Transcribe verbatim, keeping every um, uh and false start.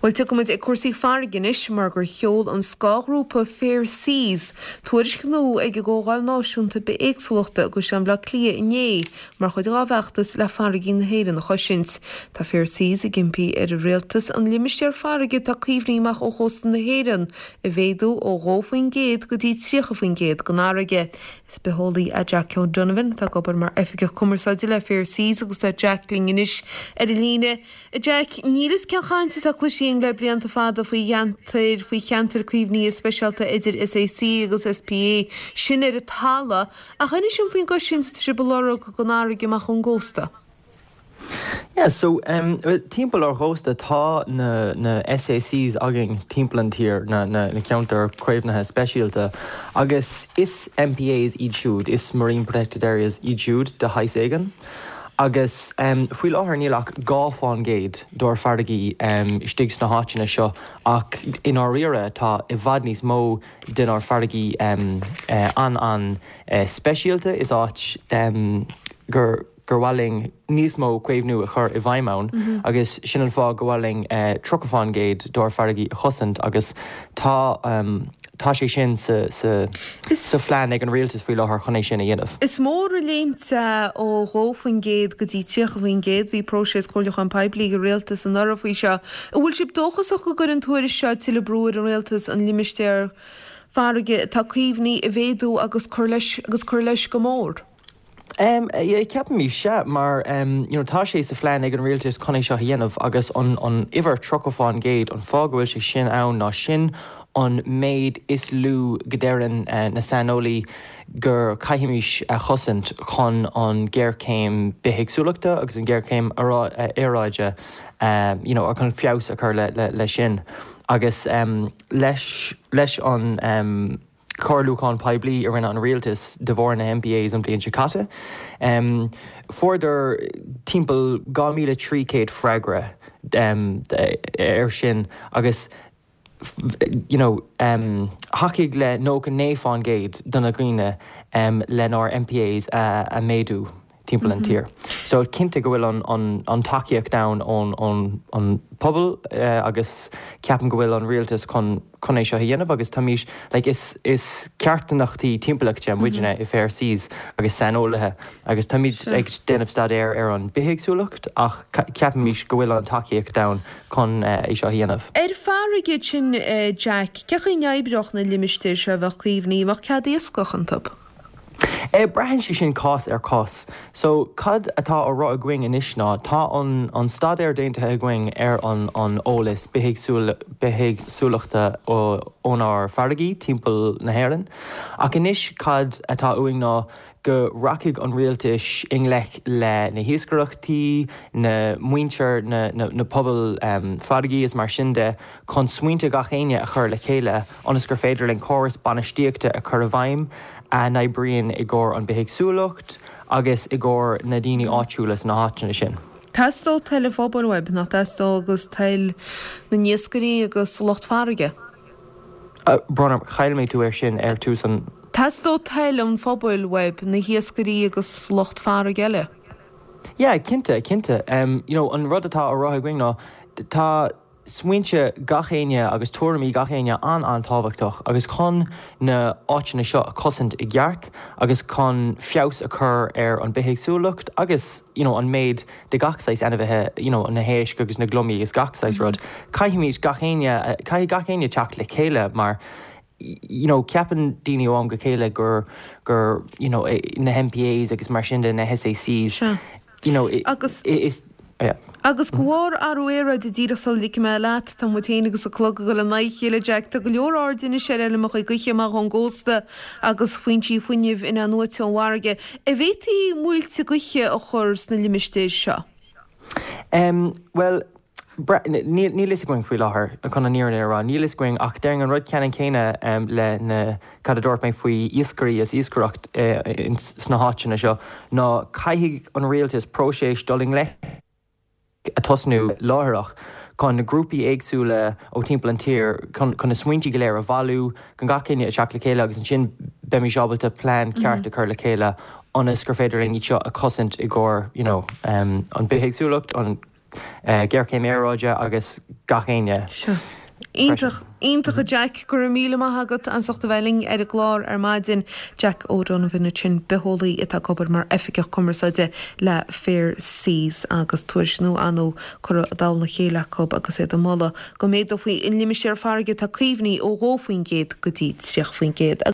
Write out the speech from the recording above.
Bhuel tiocfaimid ag cúrsaí farraige anois mar gur sheol an scáthghrúpa Fair Seas tuairisc nua ag an gComhdháil Náisiúnta Bithéagsúlachta i gCaisleán Bhaile Átha Cliath inné mar chuid dá bhfeachtas le farraigí na hÉireann a chosaint. Tá Fair Seas ag impí ar an rialtas an limistéar farraige atá caomhnaithe amach ó chósta na hÉireann a mhéadú ó dhó faoin gcéad go dtí tríocha faoin gcéad den fharraige. Is bitheolaí é Jack O'Donovan atá ag obair mar oifigeach cumarsáide le Fair Seas agus tá Jack linn anois ar an líne. Jack, níl fhios cén chaint atá cloiste le blianta fada faoi cheantair faoi cheantair caomhnaithe speisialta idir SAC agus SPA sin ar an talamh ach inis dom faoin gcosaint atá sibh a lorg don fharraige amach ón gcósta. Yeah, so um, timpeall ár gcósta tá na, na SACs againn timpeall an tír na, na, na ceantar caomhnaithe speisialta agus is MPAs iad siúd, is Marine Protected Areas iad siúd de shaghas éigin. Agus um, faoi láthair níl ach dhá faoin gcéad dár bhfarraigí um, istigh sna háiteanna seo ach i ndáiríre tá i bhfad níos mó denár bhfarraigí um, uh, an an uh, speisialta is áit um, gur gur mhaith linn níos mó caomhnú a chur i bhfeidhm ann mm -hmm. agus sin an fáth go bhfuil linn uh, tríocha faoin gcéad dár bhfarraigí a chosaint agus tá um, tá sé sin sa, sa, sa phlean ag an rialtas faoi láthair chun é sin a dhéanamh. Is mór an léimt ó dhó faoin gcéad go dtí tríocha faoin gcéad bhí próiseas comhairliúcháin poiblí ag an rialtas anuraidh faoi seo. An bhfuil sibh dóchasach go gcuirfidh an tuairisc seo tuilleadh brú ar an rialtas an limistéar farraige atá caomhnaithe a mhéadú agus cur leis agus cur leis go mór. Um, yeah, ceapaim sea mar um, you know, tá sé sa phlean ag an rialtas chun é seo a dhéanamh agus an, an uimhir tríocha faoin gcéad an fáth go bhfuil sé sin ann ná sin an méid is lú go ndeireann uh, na saineolaí gur caithfimid a chosaint chun an géarchéim bithéagsúlachta agus an géarchéim aeráide um, you know, chun feabhas a chur le, le, le sin. Agus um, leis, leis an um, comhairliúchán poiblí a rinne an rialtas de bharr na MPAs an bliain seo caite. Um, Fuaireadar timpeall dhá míle trí chéad freagra um, ar sin agus you know, um, thacaigh le nócha naoi faoin gcéad de na daoine um, lenár MPAs a, a méadú timpeall an mm -hmm. tír. So cinnte go bhfuil an, an, an tacaíocht ann ón an, an pobal uh, agus ceapaim go bhfuil an rialtas chun chun é seo a dhéanamh agus táimid like, is, is carthanachtaí timpeallachta muidne mm -hmm. i Fair Seas agus saineolaithe agus táimid ag déanamh staidéar ar an bithéagsúlacht ach ceapaimid go bhfuil an tacaíocht ann chun uh, é seo a dhéanamh. Ar farraige sin uh, Jack, cén chaoi a n-oibreodh na limistéir seo a bheadh caomhnaithe mbeadh cead iascaigh iontu. E braitheann sé sin cás ar cás. So cad atá á rá againn anois ná tá an, an staidéar déanta againn ar an, an eolas bithéagsúlachta ónár bhfarraigí timpeall na hÉireann. Ach anois cad atá uainn ná go rachaidh an rialtas i ngleic le na hiascaireachtaí, na muintir na, na, na pobal um, farraigí is mar sin de chun smaointe gach éinne a chur le chéile ionas gur féidir linn córas bainistíochta a chur i bhfeidhm a n-oibríonn i gcomhair an bithéagsúlacht agus i gcomhair na daoine áitiúla sna háiteanna sin. Teastóidh toil an phobail uaibh nach dteastóidh agus toil na n-iascairí agus lucht farraige. Uh, Brona chaill mé tú ar sin ar tús an Teastóidh toil an phobail uaibh na hiascairí agus lucht farraige eile. Yeah, cinnte, cinnte. Um, you know, an rud atá á rá againn ná tá smaointe gach éinne agus tuairimí gach éinne an an-tábhachtach agus chun na háiteanna seo a chosaint i gceart agus chun feabhas a chur ar an bithéagsúlacht agus you know, an méid de gach saghas ainmhithe you know, na héisc agus na gliomaigh agus gach saghas rud. Caithfimid gach éinne caithfidh gach éinne teacht le chéile mar you know, ceapann daoine ó am go chéile gur gur you know, na MPAs agus mar sin de na SACs you know, agus is yeah. Agus de bharr athrú aeráide díreach sula ligfidh mé leat tá muid féin agus an clog ag dul in aghaidh a chéile Jack Tá go leor aird anois ar fheirmeacha gaoithe amach ón gcósta agus foinsí fuinnimh in-athnuaite ón bhfarraige. An bhféadfaí muilte gaoithe a chur sna limistéir seo. Um, well, níl a fhios againn faoi láthair chun an fhírinne a rá, níl a fhios againn ach déarfainn an rud ceannann céanna um, le na cad a dúirt mé faoi iascairí is iascaireacht uh, sna háiteanna seo ná caithfidh an rialtas próiseas dul i ngleic a tosnú láithreach chun na grúpaí éagsúla ó timpeall an tír chun na smaointe go léir a bhailiú chun gach éinne a theacht le chéile agus ansin beimid ábalta plean ceart a chur le chéile ionas gur féidir linn iad seo a chosaint i gcomhair you know, um, an bithéagsúlacht an géarchéim aeráide agus gach éinne. Sure. Iontach, iontach a Jack, go raibh míle maith agat as ucht a bheith linn ar an gclár ar maidin. Jack O'Donovan ansin bitheolaí atá ag obair mar oifigeach cumarsáide le Fair Seas agus tuairisc nua ar ndóigh curtha i dtoll a chéile acu agus iad ag moladh go méadófaí an limistéar farraige atá caomhnaithe ó dhó faoin gcéad go dtí tríocha faoin gcéad.